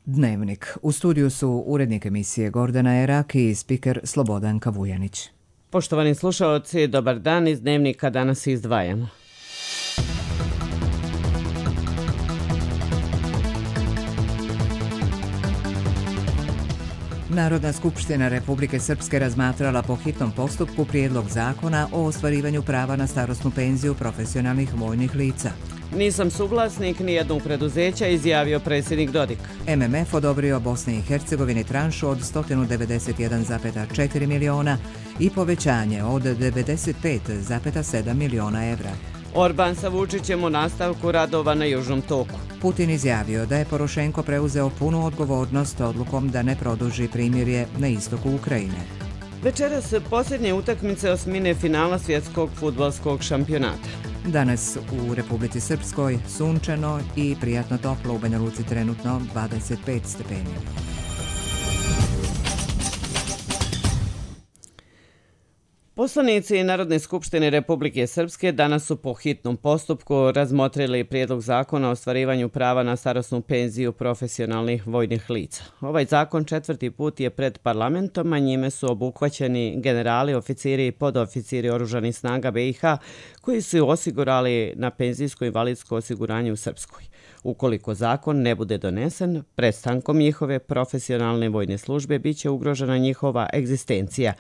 Dnevnik. U studiju su urednik emisije Gordana Erak i spiker Slobodanka Vujanić. Poštovani slušaoci, dobar dan. Iz Dnevnika danas izdvajamo. Narodna skupština Republike Srpske razmatrala po hitnom postupku prijedlog zakona o ostvarivanju prava na starosnu penziju profesionalnih vojnih lica. Nisam suglasnik nijednog preduzeća, izjavio predsjednik Dodik. MMF odobrio Bosni i Hercegovini tranšu od 191,4 miliona i povećanje od 95,7 miliona evra. Orban sa Vučićem u nastavku radova na Južnom toku. Putin izjavio da je Porošenko preuzeo punu odgovornost odlukom da ne produži primirje na istoku Ukrajine. Večeras posljednje utakmice osmine finala svjetskog fudbalskog šampionata. Danas u Republici Srpskoj sunčano i prijatno toplo, u Banja Luci trenutno 25 stepeni. Poslanici Narodne skupštine Republike Srpske danas su po hitnom postupku razmotrili prijedlog zakona o ostvarivanju prava na starosnu penziju profesionalnih vojnih lica. Ovaj zakon četvrti put je pred parlamentom, a njime su obuhvaćeni generali, oficiri i podoficiri oružanih snaga BiH koji su osigurali na penzijsko-invalidsko osiguranje u Srpskoj. Ukoliko zakon ne bude donesen, prestankom njihove profesionalne vojne službe biće ugrožena njihova egzistencija,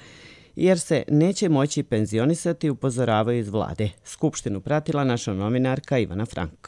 jer se neće moći penzionisati, upozoravaju iz vlade. Skupštinu pratila naša novinarka Ivana Frank.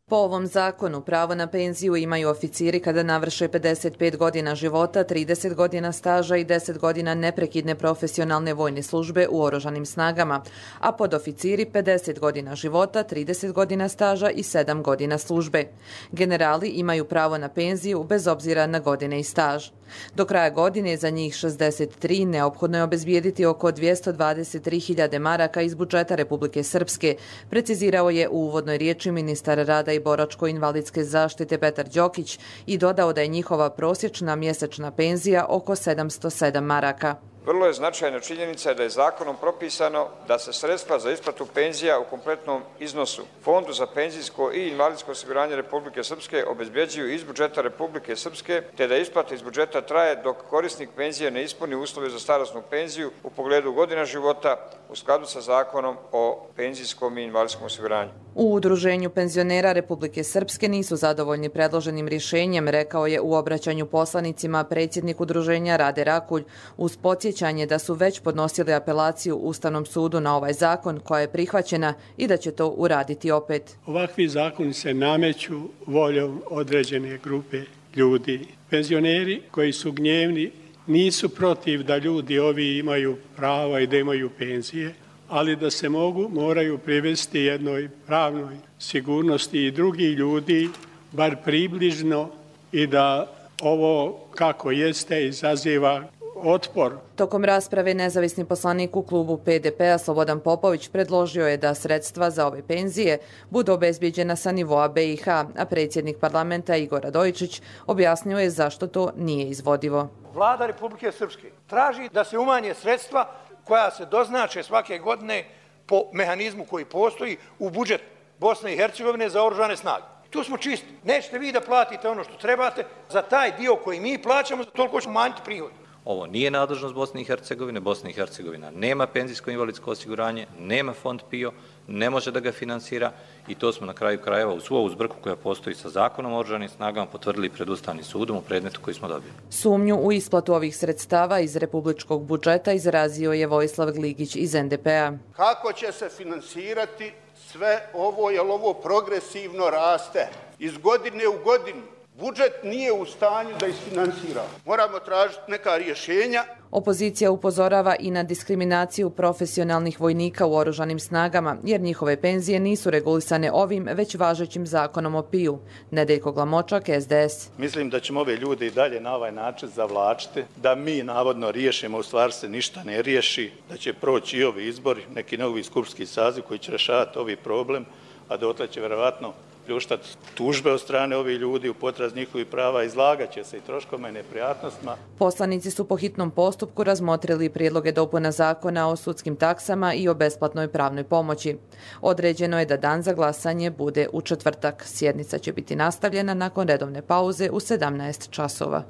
Po ovom zakonu pravo na penziju imaju oficiri kada navrše 55 godina života, 30 godina staža i 10 godina neprekidne profesionalne vojne službe u oružanim snagama, a podoficiri 50 godina života, 30 godina staža i 7 godina službe. Generali imaju pravo na penziju bez obzira na godine i staž. Do kraja godine za njih 63 neophodno je obezbijediti oko 223.000 maraka iz budžeta Republike Srpske, precizirao je u uvodnoj riječi ministar rada i boračko-invalidske zaštite Petar Đokić i dodao da je njihova prosječna mjesečna penzija oko 707 maraka. Vrlo je značajna činjenica da je zakonom propisano da se sredstva za isplatu penzija u kompletnom iznosu Fondu za penzijsko i invalidsko osiguranje Republike Srpske obezbeđuju iz budžeta Republike Srpske, te da isplata iz budžeta traje dok korisnik penzije ne ispuni uslove za starosnu penziju u pogledu godina života u skladu sa zakonom o penzijskom i invalidskom osiguranju. U Udruženju penzionera Republike Srpske nisu zadovoljni predloženim rješenjem, rekao je u obraćanju poslanicima predsjednik udruženja Rade Rakulj, uz podsjećanje da su već podnosili apelaciju Ustavnom sudu na ovaj zakon koja je prihvaćena i da će to uraditi opet. Ovakvi zakoni se nameću voljom određene grupe ljudi. Penzioneri koji su gnjevni nisu protiv da ljudi ovi imaju prava i da imaju penzije, ali da se moraju privesti jednoj pravnoj sigurnosti i drugi ljudi, bar približno, i da ovo kako jeste izaziva otpor. Tokom rasprave nezavisni poslanik u klubu PDP-a Slobodan Popović predložio je da sredstva za ove penzije budu obezbijeđena sa nivoa BiH, a predsjednik parlamenta Igor Radojičić objasnio je zašto to nije izvodivo. Vlada Republike Srpske traži da se umanje sredstva koja se doznače svake godine po mehanizmu koji postoji u budžet Bosne i Hercegovine za oružane snage. Tu smo čisti. Nećete vi da platite ono što trebate za taj dio koji mi plaćamo, za toliko ćemo manjiti prihod. Ovo nije nadležnost Bosne i Hercegovine. Bosna i Hercegovina nema penzijsko-invalidsko osiguranje, nema fond PIO, ne može da ga finansira i to smo na kraju krajeva uz svu ovu zbrku koja postoji sa zakonom o oružanim snagama potvrdili pred Ustavnim sudom u predmetu koji smo dobili. Sumnju u isplatu ovih sredstava iz republičkog budžeta izrazio je Vojislav Gligić iz NDP-a. Kako će se finansirati sve ovo, jer ovo progresivno raste iz godine u godinu? Budžet nije u stanju da isfinansira. Moramo tražiti neka rješenja. Opozicija upozorava i na diskriminaciju profesionalnih vojnika u oružanim snagama, jer njihove penzije nisu regulisane ovim već važećim zakonom o PIO. Nedeljko Glamočak, SDS. Mislim da ćemo ove ljude i dalje na ovaj način zavlačiti, da mi navodno riješimo, u stvari se ništa ne riješi, da će proći i ovi izbori, neki novi skupštinski saziv koji će rješavati ovi problem, a dotle će vjerovatno pljuštati tužbe od strane ovih ljudi u potraz njihovih prava, izlagat će se i troškovima i neprijatnostima. Poslanici su po hitnom postupku razmotrili prijedloge dopuna zakona o sudskim taksama i o besplatnoj pravnoj pomoći. Određeno je da dan za glasanje bude u četvrtak. Sjednica će biti nastavljena nakon redovne pauze u 17 časova.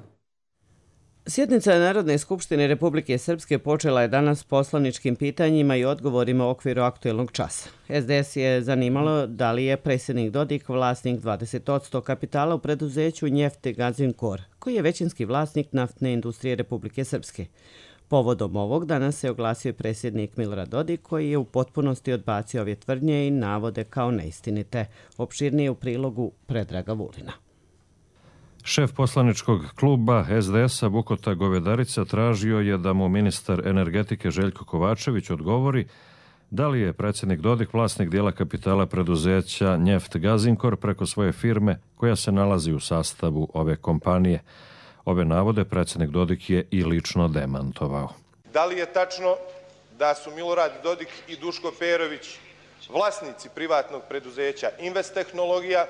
Sjednica Narodne skupštine Republike Srpske počela je danas poslaničkim pitanjima i odgovorima u okviru aktuelnog časa. SDS je zanimalo da li je predsjednik Dodik vlasnik 20% kapitala u preduzeću Njeftgazin-Kor, koji je većinski vlasnik naftne industrije Republike Srpske. Povodom ovog danas se oglasio predsjednik Milorad Dodik, koji je u potpunosti odbacio ove tvrdnje i navode kao neistinite. Opširnije u prilogu Predraga Vulina. Šef poslaničkog kluba SDS-a Bukota Govedarica tražio je da mu ministar energetike Željko Kovačević odgovori da li je predsjednik Dodik vlasnik dijela kapitala preduzeća Njeftgazin-Kor preko svoje firme koja se nalazi u sastavu ove kompanije. Ove navode predsjednik Dodik je i lično demantovao. Da li je tačno da su Milorad Dodik i Duško Perović vlasnici privatnog preduzeća Invest Tehnologija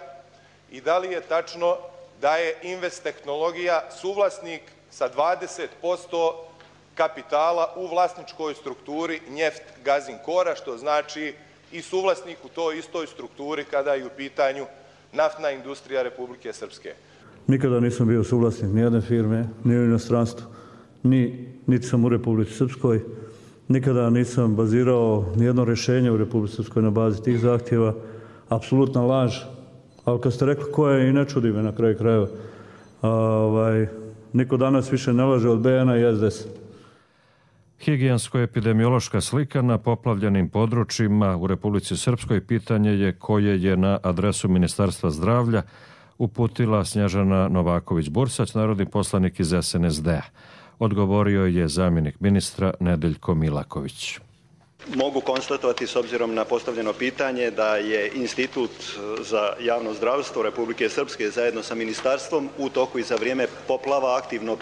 i da li je tačno da je Invest Tehnologija suvlasnik sa 20% kapitala u vlasničkoj strukturi Njeftgazin-Kora, što znači i suvlasnik u toj istoj strukturi kada je u pitanju naftna industrija Republike Srpske. Nikada nisam bio suvlasnik nijedne firme, ni u inostranstvu, niti sam u Republici Srpskoj. Nikada nisam bazirao nijedno rješenje u Republici Srpskoj na bazi tih zahtjeva. Apsolutna laž. Ali kad ste rekli ko je, i ne čudi me na kraju krajeva. Niko danas više ne laže od BN i SDS. Higijensko-epidemiološka slika na poplavljenim područjima u Republici Srpskoj pitanje je koje je na adresu Ministarstva zdravlja uputila Snježana Novaković-Bursać, narodni poslanik iz SNSD-a. Odgovorio je zamjenik ministra Nedeljko Milaković. Mogu konstatovati s obzirom na postavljeno pitanje da je Institut za javno zdravstvo Republike Srpske zajedno sa ministarstvom u toku i za vrijeme poplava aktivno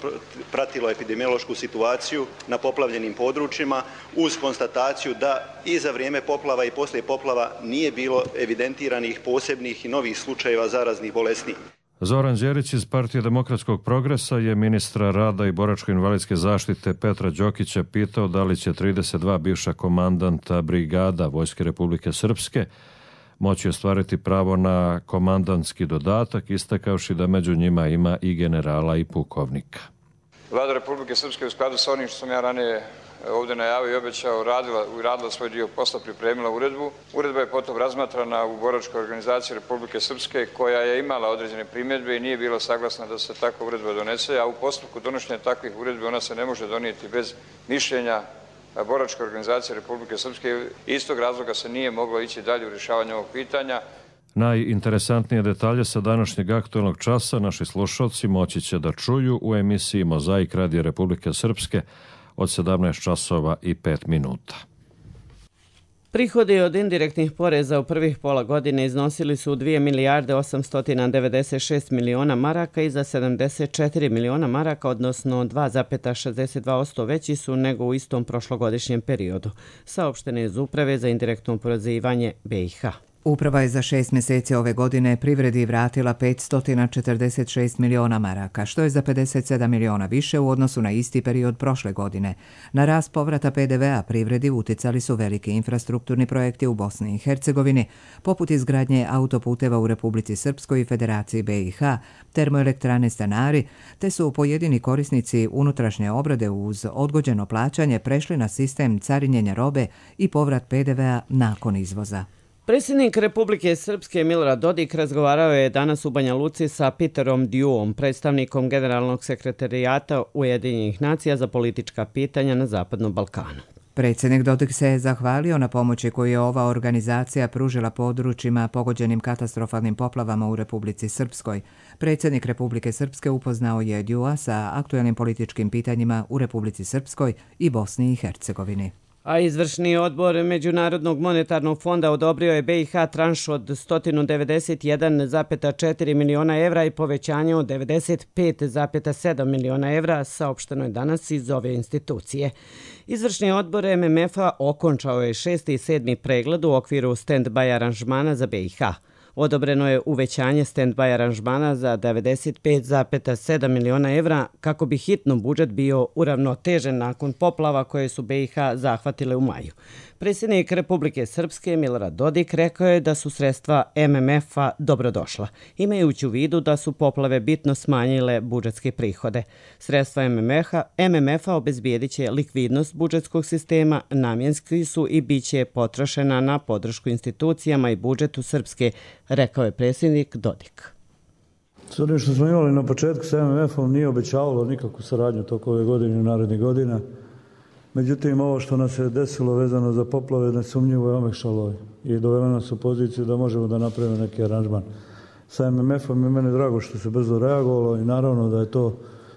pratilo epidemiološku situaciju na poplavljenim područjima uz konstataciju da i za vrijeme poplava i poslije poplava nije bilo evidentiranih posebnih i novih slučajeva zaraznih bolesti. Zoran Đerić iz Partije demokratskog progresa je ministra rada i boračko-invalidske zaštite Petra Đokića pitao da li će 32 bivša komandanta brigada Vojske Republike Srpske moći ostvariti pravo na komandantski dodatak, istakavši da među njima ima i generala i pukovnika. Vlada Republike Srpske u skladu sa onim što sam ja ranije ovdje najavio i obećao radila svoj dio posla, pripremila uredbu. Uredba je potom razmatrana u boračkoj organizaciji Republike Srpske koja je imala određene primjedbe i nije bila saglasna da se takva uredba donese, a u postupku donošenja takvih uredbi ona se ne može donijeti bez mišljenja boračke organizacije Republike Srpske. Iz tog razloga se nije moglo ići dalje u rješavanje ovog pitanja. Najinteresantnije detalje sa današnjeg aktualnog časa naši slušalci moći će da čuju u emisiji Mozaik Radija Republike Srpske od 17 časova i 5 minuta. Prihodi od indirektnih poreza u prvih pola godine iznosili su 2 milijarde 896 miliona maraka i za 74 miliona maraka, odnosno 2,62% veći su nego u istom prošlogodišnjem periodu, saopšteno iz Uprave za indirektno oporezivanje BiH. Uprava je za 6 mjeseci ove godine privredi vratila 546 miliona maraka, što je za 57 miliona više u odnosu na isti period prošle godine. Na rast povrata PDV-a privredi uticali su veliki infrastrukturni projekti u Bosni i Hercegovini, poput izgradnje autoputeva u Republici Srpskoj i Federaciji BiH, termoelektrane Stanari, te su pojedini korisnici unutrašnje obrade uz odgođeno plaćanje prešli na sistem carinjenja robe i povrat PDV-a nakon izvoza. Predsjednik Republike Srpske Milorad Dodik razgovarao je danas u Banja Luci sa Peterom Diuom, predstavnikom Generalnog sekretarijata Ujedinjenih nacija za politička pitanja na Zapadnom Balkanu. Predsjednik Dodik se je zahvalio na pomoći koju je ova organizacija pružila područjima pogođenim katastrofalnim poplavama u Republici Srpskoj. Predsjednik Republike Srpske upoznao je Diua sa aktuelnim političkim pitanjima u Republici Srpskoj i Bosni i Hercegovini. A izvršni odbor Međunarodnog monetarnog fonda odobrio je BiH tranš od 191,4 miliona evra i povećanje od 95,7 miliona evra, saopšteno je danas iz ove institucije. Izvršni odbor MMF-a okončao je 6. i 7. pregled u okviru stand-by aranžmana za BiH. Odobreno je uvećanje stand-by aranžmana za 95,7 miliona evra kako bi hitno budžet bio uravnotežen nakon poplava koje su BiH zahvatile u maju. Predsjednik Republike Srpske Milorad Dodik rekao je da su sredstva MMF-a dobrodošla, imajući u vidu da su poplave bitno smanjile budžetske prihode. Sredstva MMF-a obezbijedit će likvidnost budžetskog sistema, namjenski su i bit će potrošena na podršku institucijama i budžetu Srpske, rekao je predsjednik Dodik. S onim što smo imali na početku sa MMF-om nije obećavalo nikakvu saradnju toko ove godine i narednih godina. Međutim, ovo što nas je desilo vezano za poplave nesumnjivo je omekšalo i dovelo nas u poziciju da možemo da napravimo neki aranžman sa MMF-om i mene je drago što se brzo reagovalo i naravno da je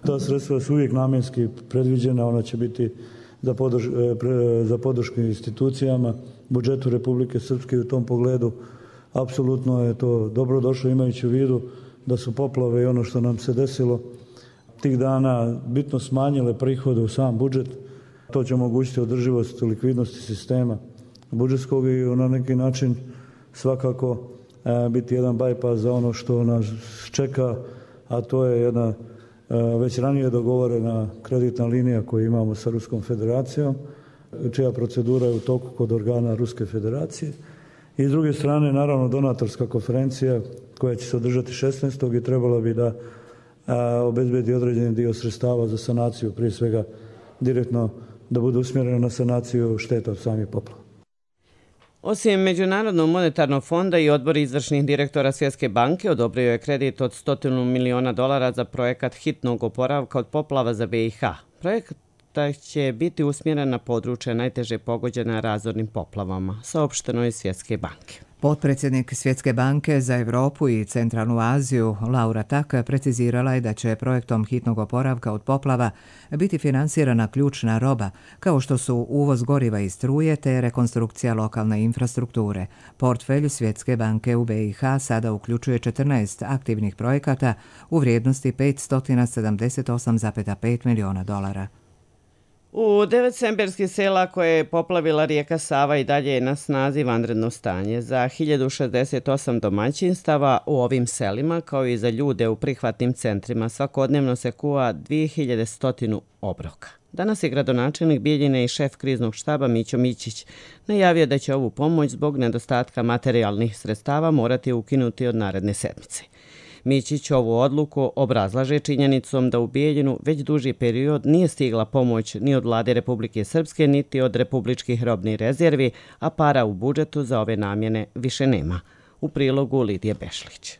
ta sredstva su uvijek namjenski predviđena, ona će biti za podršku institucijama, budžetu Republike Srpske u tom pogledu. Apsolutno je to dobro došlo imajući u vidu da su poplave i ono što nam se desilo tih dana bitno smanjile prihode u sam budžet. To će omogućiti održivost likvidnosti sistema budžetskog i na neki način svakako biti jedan bypass za ono što nas čeka, a to je jedna već ranije dogovorena kreditna linija koju imamo sa Ruskom federacijom, čija procedura je u toku kod organa Ruske federacije. I s druge strane, naravno, donatorska konferencija koja će se održati 16. i trebala bi da obezbedi određeni dio sredstava za sanaciju, prije svega direktno da bude usmjereno na sanaciju šteta od samih poplava. Osim Međunarodnog monetarnog fonda i odbor izvršnih direktora Svjetske banke odobrio je kredit od $100 miliona za projekat hitnog oporavka od poplava za BiH. Projekat će biti usmjeren na područje najteže pogođena razornim poplavama, saopšteno je Svjetske banke. Potpredsjednik Svjetske banke za Europu i Centralnu Aziju Laura Tak precizirala je da će projektom hitnog oporavka od poplava biti finansirana ključna roba, kao što su uvoz goriva i struje te rekonstrukcija lokalne infrastrukture. Portfelj Svjetske banke u BiH sada uključuje 14 aktivnih projekata u vrijednosti $578,5 miliona. U 9 semberskih sela koje je poplavila rijeka Sava i dalje je na snazi vanredno stanje. Za 1068 domaćinstava u ovim selima, kao i za ljude u prihvatnim centrima, svakodnevno se kuva 2100 obroka. Danas je gradonačelnik Bijeljine i šef kriznog štaba Mićo Mićić najavio da će ovu pomoć zbog nedostatka materijalnih sredstava morati ukinuti od naredne sedmice. Mićić ovu odluku obrazlaže činjenicom da u Bijeljinu već duži period nije stigla pomoć ni od vlade Republike Srpske niti od republičkih robnih rezervi, a para u budžetu za ove namjene više nema. U prilogu Lidije Bešlić.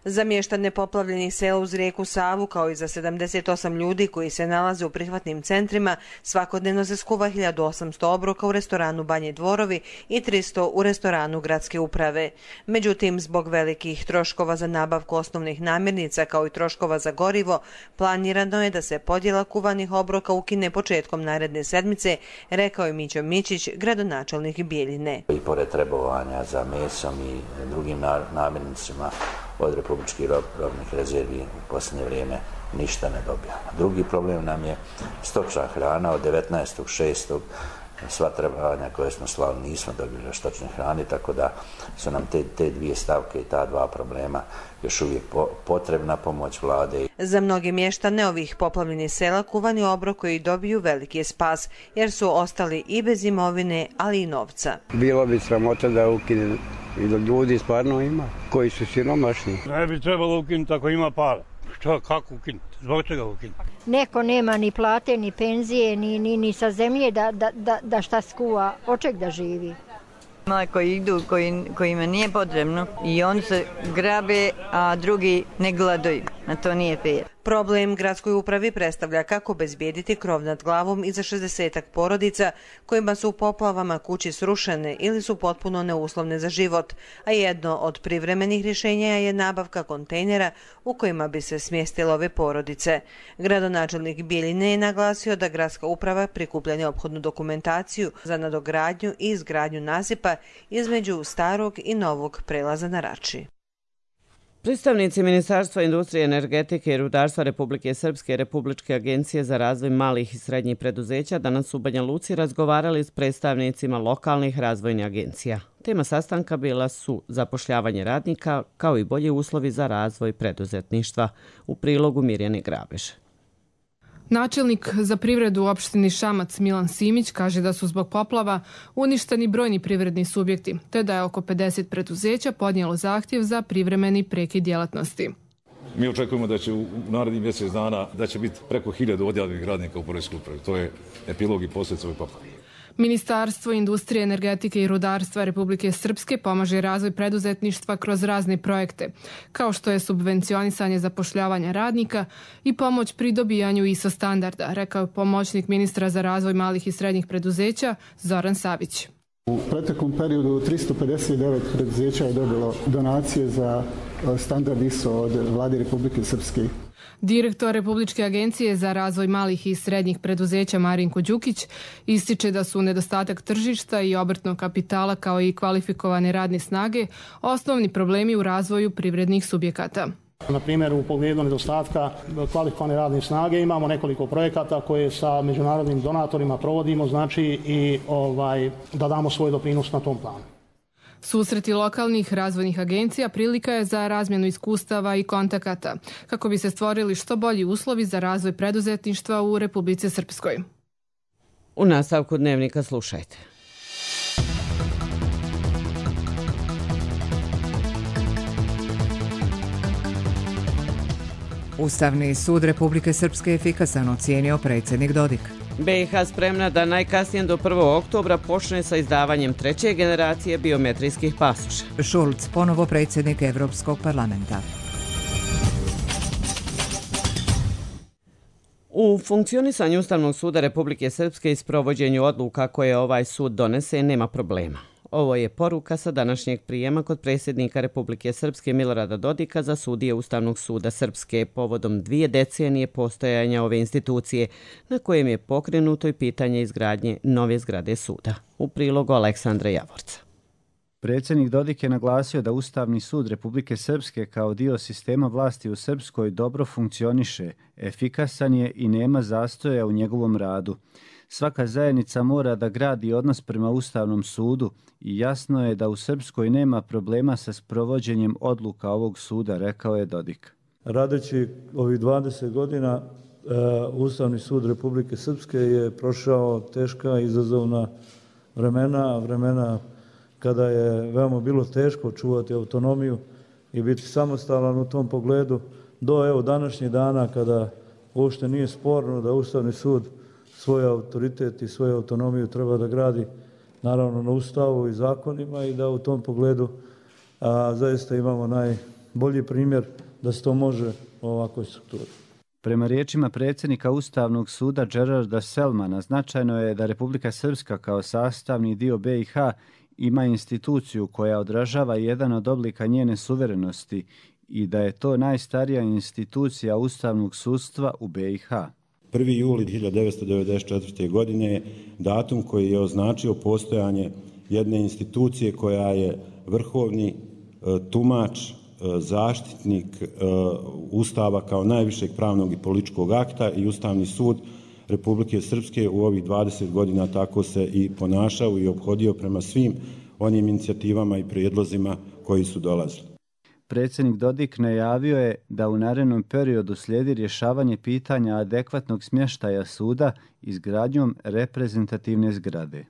Za mještane poplavljenih sela uz rijeku Savu, kao i za 78 ljudi koji se nalaze u prihvatnim centrima, svakodnevno se skuva 1800 obroka u restoranu Banje Dvorovi i 300 u restoranu Gradske uprave. Međutim, zbog velikih troškova za nabavku osnovnih namirnica, kao i troškova za gorivo, planirano je da se podjela kuvanih obroka ukine početkom naredne sedmice, rekao je Mićo Mićić, gradonačelnik Bijeljine. I pored trebovanja za mesom i drugim namirnicama od republičkih robnih rezervi u posljednje vrijeme ništa ne dobijamo. Drugi problem nam je stočna hrana. Od 19.6. sva trebovanja koje smo slali nismo dobili stočne hrane, tako da su nam te dvije stavke i ta dva problema još uvijek potrebna pomoć vlade. Za mnoge mještane ovih poplavljenih sela kuvani obrok koji dobiju veliki je spas, jer su ostali i bez imovine, ali i novca. Bilo bi sramota da ukine i da ljudi stvarno ima, koji su siromašni. Ne bi trebalo ukinuti ako ima para. Što, kako ukinuti? Zbog čega ukinuti? Neko nema ni plate, ni penzije, ni sa zemlje da šta skuva, od čeg da živi. Mali koji idu, kojima nije potrebno i oni se grabe, a drugi ne gladuju. A to nije fair. Problem gradskoj upravi predstavlja kako bezbijediti krov nad glavom i za 60 porodica kojima su u poplavama kući srušene ili su potpuno neuslovne za život, a jedno od privremenih rješenja je nabavka kontejnera u kojima bi se smjestile ove porodice. Gradonačelnik Bijeljine je naglasio da gradska uprava prikuplja neophodnu dokumentaciju za nadogradnju i izgradnju nasipa između starog i novog prelaza na Rači. Predstavnici Ministarstva industrije, energetike i rudarstva Republike Srpske i Republičke agencije za razvoj malih i srednjih preduzeća danas u Banja Luci razgovarali s predstavnicima lokalnih razvojnih agencija. Tema sastanka bila su zapošljavanje radnika kao i bolji uslovi za razvoj preduzetništva. U prilogu Mirjane Grabež. Načelnik za privredu u opštini Šamac Milan Simić kaže da su zbog poplava uništeni brojni privredni subjekti, te da je oko 50 preduzeća podnijelo zahtjev za privremeni prekid djelatnosti. Mi očekujemo da će u narednih mjesec dana da će biti preko 1000 odjavljenih radnika u poreskoj upravi. To je epilog i posljedica ove poplave. Ministarstvo industrije, energetike i rudarstva Republike Srpske pomaže razvoj preduzetništva kroz razne projekte, kao što je subvencionisanje zapošljavanja radnika i pomoć pri dobijanju ISO standarda, rekao je pomoćnik ministra za razvoj malih i srednjih preduzeća Zoran Savić. U proteklom periodu 359 preduzeća je dobilo donacije za standard ISO od Vlade Republike Srpske. Direktor Republičke agencije za razvoj malih i srednjih preduzeća Marinko Đukić ističe da su nedostatak tržišta i obrtnog kapitala kao i kvalifikovane radne snage osnovni problemi u razvoju privrednih subjekata. Na primjer, u pogledu nedostatka kvalifikovane radne snage imamo nekoliko projekata koje sa međunarodnim donatorima provodimo, znači i da damo svoj doprinos na tom planu. Susreti lokalnih razvojnih agencija prilika je za razmjenu iskustava i kontakata, kako bi se stvorili što bolji uslovi za razvoj preduzetništva u Republici Srpskoj. U nastavku dnevnika slušajte. Ustavni sud Republike Srpske efikasan ocijenio predsjednik Dodik. BiH spremna da najkasnije do 1. oktobra počne sa izdavanjem treće generacije biometrijskih pasoša. Šulc, ponovo predsjednik Evropskog parlamenta. U funkcionisanju Ustavnog suda Republike Srpske i sprovođenju odluka koje ovaj sud donese nema problema. Ovo je poruka sa današnjeg prijema kod predsjednika Republike Srpske Milorada Dodika za sudije Ustavnog suda Srpske povodom 2 decenije postojanja ove institucije, na kojem je pokrenuto i pitanje izgradnje nove zgrade suda. U prilogu Aleksandra Javorca. Predsjednik Dodik je naglasio da Ustavni sud Republike Srpske kao dio sistema vlasti u Srpskoj dobro funkcioniše, efikasan je i nema zastoja u njegovom radu. Svaka zajednica mora da gradi odnos prema Ustavnom sudu i jasno je da u Srpskoj nema problema sa sprovođenjem odluka ovog suda, rekao je Dodik. Radeći ovih 20 godina, Ustavni sud Republike Srpske je prošao teška izazovna vremena kada je veoma bilo teško čuvati autonomiju i biti samostalan u tom pogledu, do današnjih dana kada uopšte nije sporno da Ustavni sud svoj autoritet i svoju autonomiju treba da gradi naravno na Ustavu i zakonima i da u tom pogledu zaista imamo najbolji primjer da se to može u ovakvoj strukturi. Prema riječima predsjednika Ustavnog suda Gerarda Selmana, značajno je da Republika Srpska kao sastavni dio BiH ima instituciju koja odražava jedan od oblika njene suverenosti i da je to najstarija institucija ustavnog sudstva u BiH. 1. juli 1994. godine je datum koji je označio postojanje jedne institucije koja je vrhovni tumač, zaštitnik Ustava kao najvišeg pravnog i političkog akta i Ustavni sud Republike Srpske u ovih 20 godina tako se i ponašao i ophodio prema svim onim inicijativama i prijedlozima koji su dolazili. Predsjednik Dodik najavio je da u narednom periodu slijedi rješavanje pitanja adekvatnog smještaja suda izgradnjom reprezentativne zgrade.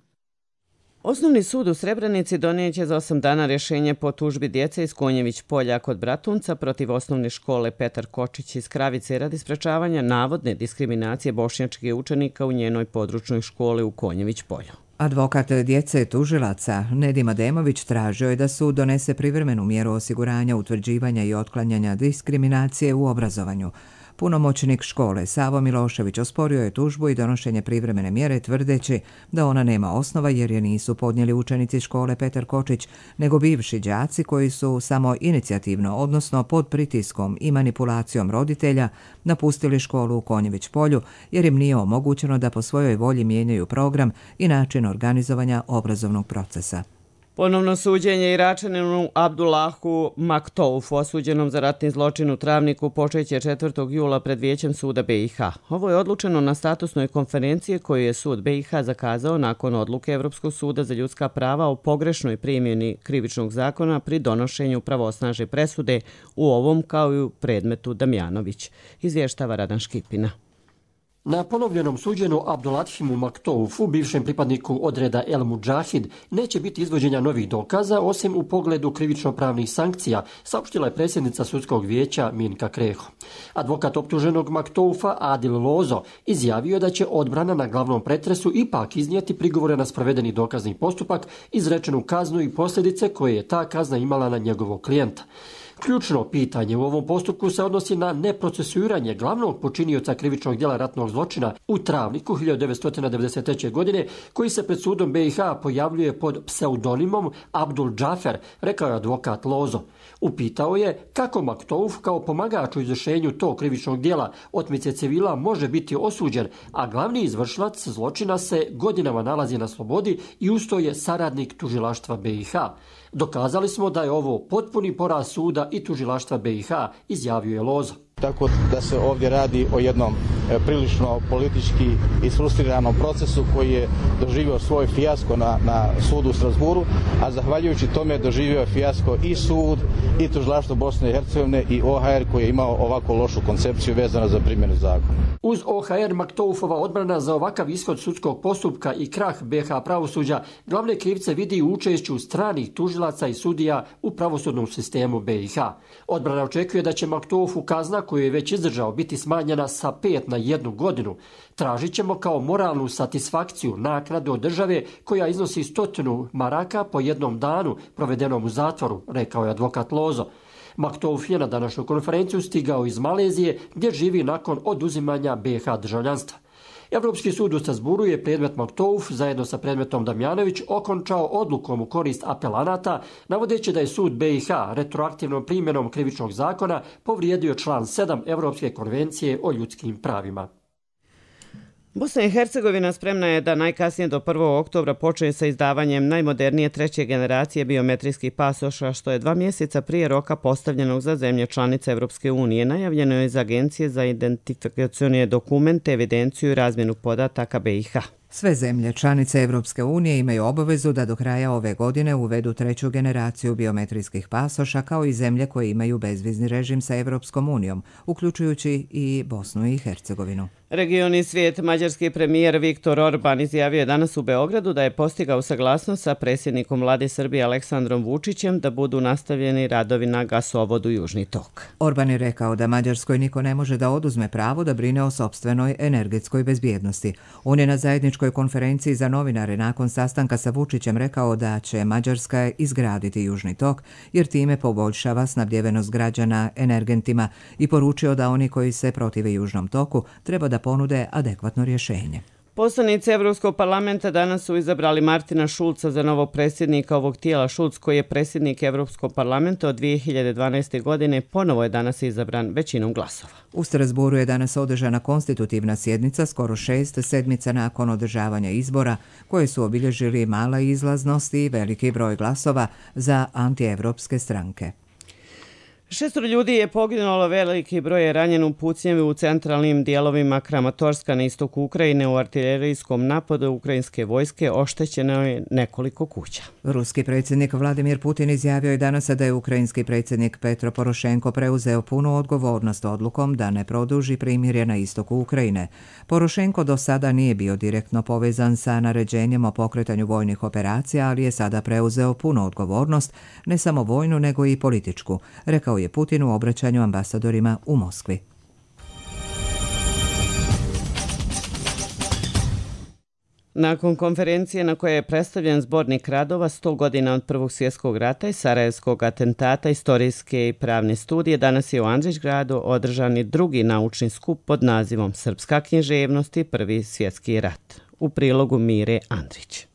Osnovni sud u Srebrenici donijet će za 8 dana rješenje po tužbi djece iz Konjević polja kod Bratunca protiv osnovne škole Petar Kočić iz Kravice radi sprečavanja navodne diskriminacije bošnjačkih učenika u njenoj područnoj školi u Konjević polju. Advokat djece tužilaca Nedim Ademović tražio je da sud donese privremenu mjeru osiguranja, utvrđivanja i otklanjanja diskriminacije u obrazovanju. Punomoćnik škole Savo Milošević osporio je tužbu i donošenje privremene mjere tvrdeći da ona nema osnova jer je nisu podnijeli učenici škole Petar Kočić, nego bivši đaci koji su samo inicijativno, odnosno pod pritiskom i manipulacijom roditelja, napustili školu u Konjević polju jer im nije omogućeno da po svojoj volji mijenjaju program i način organizovanja obrazovnog procesa. Ponovno suđenje Iračaninu Abdullahu Maktoufu, osuđenom za ratni zločin u Travniku, počeće 4. jula pred Vijećem suda BiH. Ovo je odlučeno na statusnoj konferenciji koju je sud BiH zakazao nakon odluke Evropskog suda za ljudska prava o pogrešnoj primjeni krivičnog zakona pri donošenju pravosnažne presude u ovom kao i u predmetu Damjanović. Izvještava Radan Škipina. Na ponovljenom suđenju Abdulathimu Maktoufu, bivšem pripadniku odreda El Mudžahid, neće biti izvođenja novih dokaza, osim u pogledu krivično-pravnih sankcija, saopštila je predsjednica sudskog vijeća Minka Kreho. Advokat optuženog Maktoufa, Adil Lozo, izjavio je da će odbrana na glavnom pretresu ipak iznijeti prigovore na sprovedeni dokazni postupak, izrečenu kaznu i posljedice koje je ta kazna imala na njegovog klijenta. Ključno pitanje u ovom postupku se odnosi na neprocesuiranje glavnog počinioca krivičnog djela ratnog zločina u Travniku 1993. godine, koji se pred sudom BiH pojavljuje pod pseudonimom Abdul Džafer, rekao je advokat Lozo. Upitao je kako Maktouf kao pomagač u izvršenju tog krivičnog djela otmice civila može biti osuđen, a glavni izvršilac zločina se godinama nalazi na slobodi i usto je saradnik tužilaštva BiH. Dokazali smo da je ovo potpuni poraz suda i tužilaštva BiH, izjavio je Lozo. Tako da se ovdje radi o jednom prilično politički isfrustriranom procesu koji je doživio svoj fijasko na sudu u Strasburu, a zahvaljujući tome doživio je fijasko i sud, i tužilaštvo Bosne i Hercegovine i OHR koji je imao ovako lošu koncepciju vezano za primjenu zakona. Uz OHR Maktoufova odbrana za ovakav ishod sudskog postupka i krah BiH pravosuđa glavne krivce vidi u učešću stranih tužilaca i sudija u pravosudnom sistemu BiH. Odbrana očekuje da će Maktoufu kazna koju je već izdržao biti smanjena sa 5 na 1 godinu. Tražit ćemo kao moralnu satisfakciju naknadu od države koja iznosi 100 maraka po jednom danu provedenom u zatvoru, rekao je advokat Lozo. Maktouf je na današnju konferenciju stigao iz Malezije gdje živi nakon oduzimanja BiH državljanstva. Evropski sud u Strasburu je predmet Maktouf zajedno sa predmetom Damjanović okončao odlukom u korist apelanata, navodeći da je sud BiH retroaktivnom primjenom krivičnog zakona povrijedio član 7 Evropske konvencije o ljudskim pravima. Bosna i Hercegovina spremna je da najkasnije do 1. oktobra počne sa izdavanjem najmodernije 3. generacije biometrijskih pasoša, što je 2 mjeseca prije roka postavljenog za zemlje članice Evropske unije. Najavljeno je iz Agencije za identifikacione dokumente, evidenciju i razmjenu podataka BiH. Sve zemlje članice Evropske unije imaju obavezu da do kraja ove godine uvedu 3. generaciju biometrijskih pasoša, kao i zemlje koje imaju bezvizni režim sa Evropskom unijom, uključujući i Bosnu i Hercegovinu. Regioni svijet, mađarski premijer Viktor Orban izjavio je danas u Beogradu da je postigao saglasnost sa predsjednikom vlade Srbije Aleksandrom Vučićem da budu nastavljeni radovi na gasovodu Južni tok. Orban je rekao da Mađarskoj niko ne može da oduzme pravo da brine o sopstvenoj energetskoj bezbjednosti. On je na zajedničkoj konferenciji za novinare nakon sastanka sa Vučićem rekao da će Mađarska izgraditi Južni tok jer time poboljšava snabdjevenost građana energentima i poručio da oni koji se protive Južnom toku treba da ponude adekvatno rješenje. Poslanici Evropskog parlamenta danas su izabrali Martina Šulca za novog predsjednika ovog tijela. Šulc, koji je predsjednik Evropskog parlamenta od 2012. godine, ponovo je danas izabran većinom glasova. U Strasburu je danas održana konstitutivna sjednica skoro 6 sedmica nakon održavanja izbora, koje su obilježili mala izlaznost i veliki broj glasova za antievropske stranke. 6 ljudi je poginulo, veliki broj je ranjen u pucnjevi u centralnim dijelovima Kramatorska na istoku Ukrajine. U artilerijskom napadu ukrajinske vojske oštećeno je nekoliko kuća. Ruski predsjednik Vladimir Putin izjavio je danas da je ukrajinski predsjednik Petro Porošenko preuzeo punu odgovornost odlukom da ne produži primirje na istoku Ukrajine. Porošenko do sada nije bio direktno povezan sa naređenjem o pokretanju vojnih operacija, ali je sada preuzeo punu odgovornost, ne samo vojnu nego i političku, rekao je Putin u obraćanju ambasadorima u Moskvi. Nakon konferencije na kojoj je predstavljen zbornik radova 100 godina od Prvog svjetskog rata i Sarajevskog atentata, istorijske i pravne studije, danas je u Andrićgradu održani drugi naučni skup pod nazivom Srpska književnost i Prvi svjetski rat. U prilogu Mire Andrić.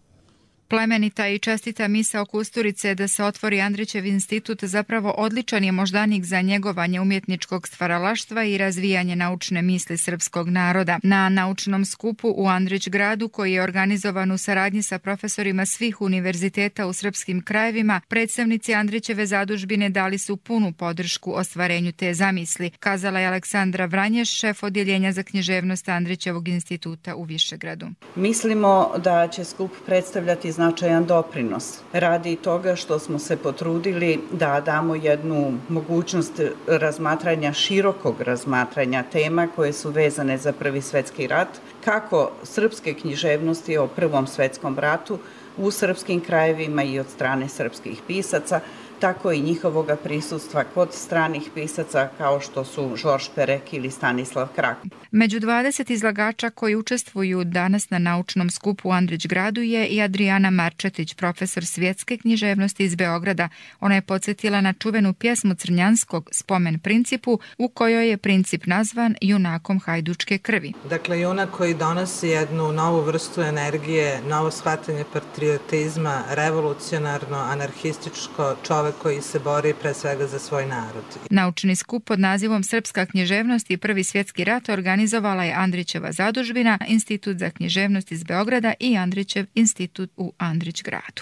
Plemenita i čestita misao Kusturice da se otvori Andrićev institut zapravo odličan je moždanik za njegovanje umjetničkog stvaralaštva i razvijanje naučne misli srpskog naroda. Na naučnom skupu u Andrić gradu, koji je organizovan u saradnji sa profesorima svih univerziteta u srpskim krajevima, predstavnici Andrićeve zadužbine dali su punu podršku ostvarenju te zamisli, kazala je Aleksandra Vranješ, šef odjeljenja za književnost Andrićevog instituta u Višegradu. Mislimo da će skup predstavljati značajan doprinos radi toga što smo se potrudili da damo jednu mogućnost razmatranja, širokog razmatranja tema koje su vezane za Prvi svjetski rat, kako srpske književnosti o Prvom svjetskom ratu u srpskim krajevima i od strane srpskih pisaca, tako i njihovoga prisustva kod stranih pisaca kao što su Žorž Perek ili Stanislav Krak. Među 20 izlagača koji učestvuju danas na naučnom skupu u Andrić gradu je i Adriana Marčetić, profesor svjetske književnosti iz Beograda. Ona je podsjetila na čuvenu pjesmu Crnjanskog Spomen principu, u kojoj je princip nazvan junakom hajdučke krvi. Dakle, junak koji donosi jednu novu vrstu energije, novo shvatanje patriotizma, revolucionarno, anarhističko, čovek koji se bori pre svega za svoj narod. Naučni skup pod nazivom Srpska književnost i Prvi svjetski rat organizovala je Andrićeva zadužbina, Institut za književnost iz Beograda i Andrićev institut u Andrić gradu.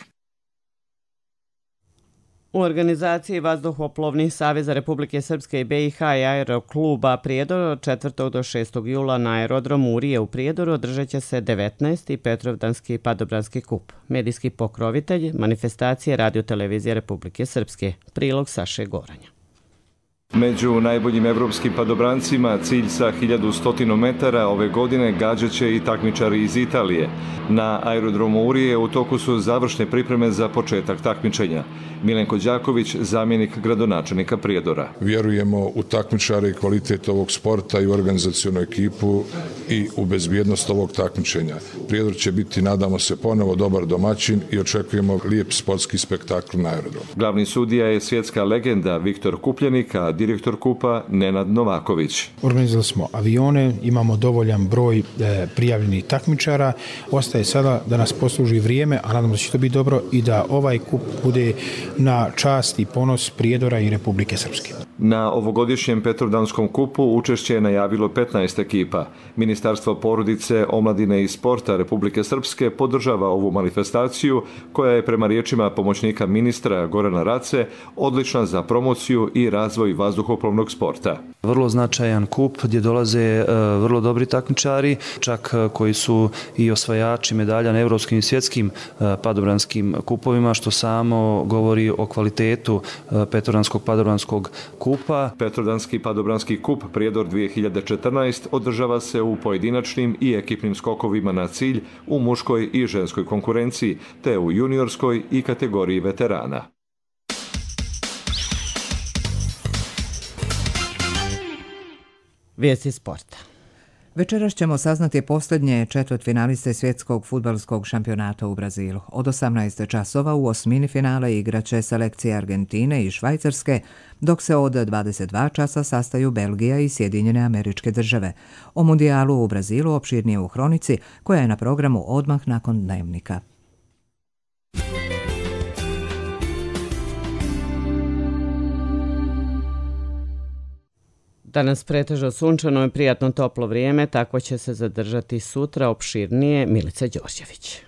U organizaciji Vazduhoplovnih saveza Republike Srpske i BiH i Aerokluba Prijedor od 4. do 6. jula na aerodromu Urije u Prijedoru održat će se 19. Petrovdanski padobranski kup. Medijski pokrovitelj manifestacije Radio-televizije Republike Srpske. Prilog Saše Goranja. Među najboljim evropskim padobrancima cilj sa 1100 metara ove godine gađat će i takmičari iz Italije. Na aerodromu Urije u toku su završne pripreme za početak takmičenja. Milenko Đaković, zamjenik gradonačelnika Prijedora. Vjerujemo u takmičare i kvalitet ovog sporta i u organizacionu ekipu i u bezbjednost ovog takmičenja. Prijedor će biti, nadamo se, ponovo dobar domaćin i očekujemo lijep sportski spektakl na aerodromu. Glavni sudija je svjetska legenda Viktor Kupljenik, a direktor kupa Nenad Novaković. Organizovali smo avione, imamo dovoljan broj prijavljenih takmičara. Ostaje sada da nas posluži vrijeme, a nadamo se da će to biti dobro i da ovaj kup bude na čast i ponos Prijedora i Republike Srpske. Na ovogodišnjem Petrovdanskom kupu učešće je najavilo 15 ekipa. Ministarstvo porodice, omladine i sporta Republike Srpske podržava ovu manifestaciju koja je prema riječima pomoćnika ministra Gorana Race odlična za promociju i razvoj vazduhoplovnog sporta. Vrlo značajan kup gdje dolaze vrlo dobri takmičari, čak koji su i osvajači medalja na evropskim i svjetskim padobranskim kupovima, što samo govori o kvalitetu Petrovdanskog padobranskog kupa. Petrovdanski padobranski kup Prijedor 2014 održava se u pojedinačnim i ekipnim skokovima na cilj u muškoj i ženskoj konkurenciji, te u juniorskoj i kategoriji veterana. Vijesti sporta. Večeras ćemo saznati posljednje četvrtfinaliste svjetskog fudbalskog šampionata u Brazilu. Od 18 časova u osmini finale igraće selekcije Argentine i Švajcarske, dok se od 22 časa sastaju Belgija i Sjedinjene Američke Države. O mundijalu u Brazilu opširnije u Hronici, koja je na programu odmah nakon dnevnika. Danas pretežno sunčano i prijatno toplo vrijeme, tako će se zadržati sutra opširnije. Milica Đorđević.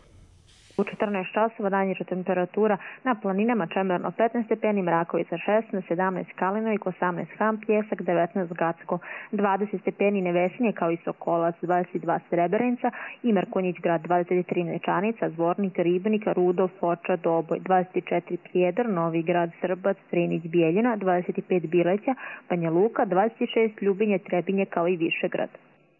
U 14 časova najniža temperatura na planinama Čemerno 15 stepeni, Mrakovica 16, 17 Kalinojik, 18 Ham, Pjesak, 19 Gacko, 20 stepeni Nevesinje kao i Sokolac, 22 Srebrenica i Mrkonjić grad, 23 Nečanica, Zvornik, Ribnik, Rudov, Foča, Doboj, 24 Prijedor, Novi grad, Srbac, Strinić, Bijeljina, 25 Bileća, Banja Luka, 26 Ljubinje, Trebinje kao i Višegrad.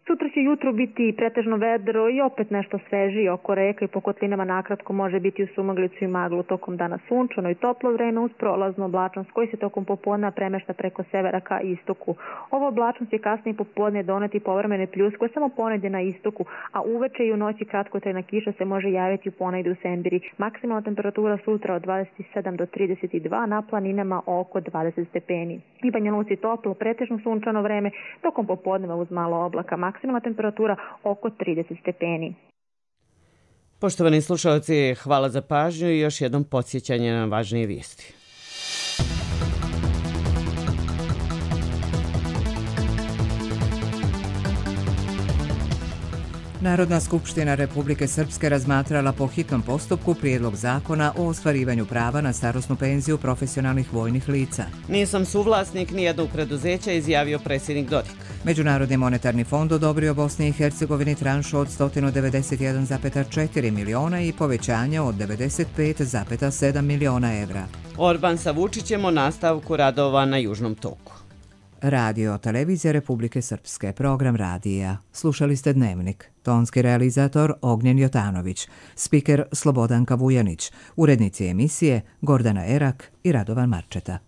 Sutra će jutro biti pretežno vedro i opet nešto svežije oko reka i po kotlinama nakratko može biti u sumaglicu i maglu, tokom dana sunčano i toplo vreme uz prolaznu oblačnost koji se tokom popodneva premešta preko severa ka istoku. Ova oblačnost će kasnije popodne doneti povremene pljuskove samo ponegdje na istoku, a uveče i u noći kratkotrajna kiša se može javiti ponegdje u Sembiri. Maksimalna temperatura sutra od 27 do 32, na planinama oko 20 stepeni. I Banja Luci toplo, pretežno sunčano vreme, tokom popodneva uz malo oblaka. Maksimalna temperatura oko 30 stepeni. Poštovani slušalci, hvala za pažnju i još jednom podsjećanje na važnije vijesti. Narodna skupština Republike Srpske razmatrala po hitnom postupku prijedlog zakona o ostvarivanju prava na starosnu penziju profesionalnih vojnih lica. Nisam suvlasnik nijednog preduzeća, izjavio predsjednik Dodik. Međunarodni monetarni fond odobrio Bosni i Hercegovini tranšu od 191,4 miliona i povećanje od 95,7 miliona evra. Orban sa Vučićem o nastavku radova na Južnom toku. Radio televizija Republike Srpske, program radija. Slušali ste Dnevnik. Tonski realizator Ognjen Jotanović, spiker Slobodanka Vujanić, urednici emisije Gordana Erak i Radovan Marčeta.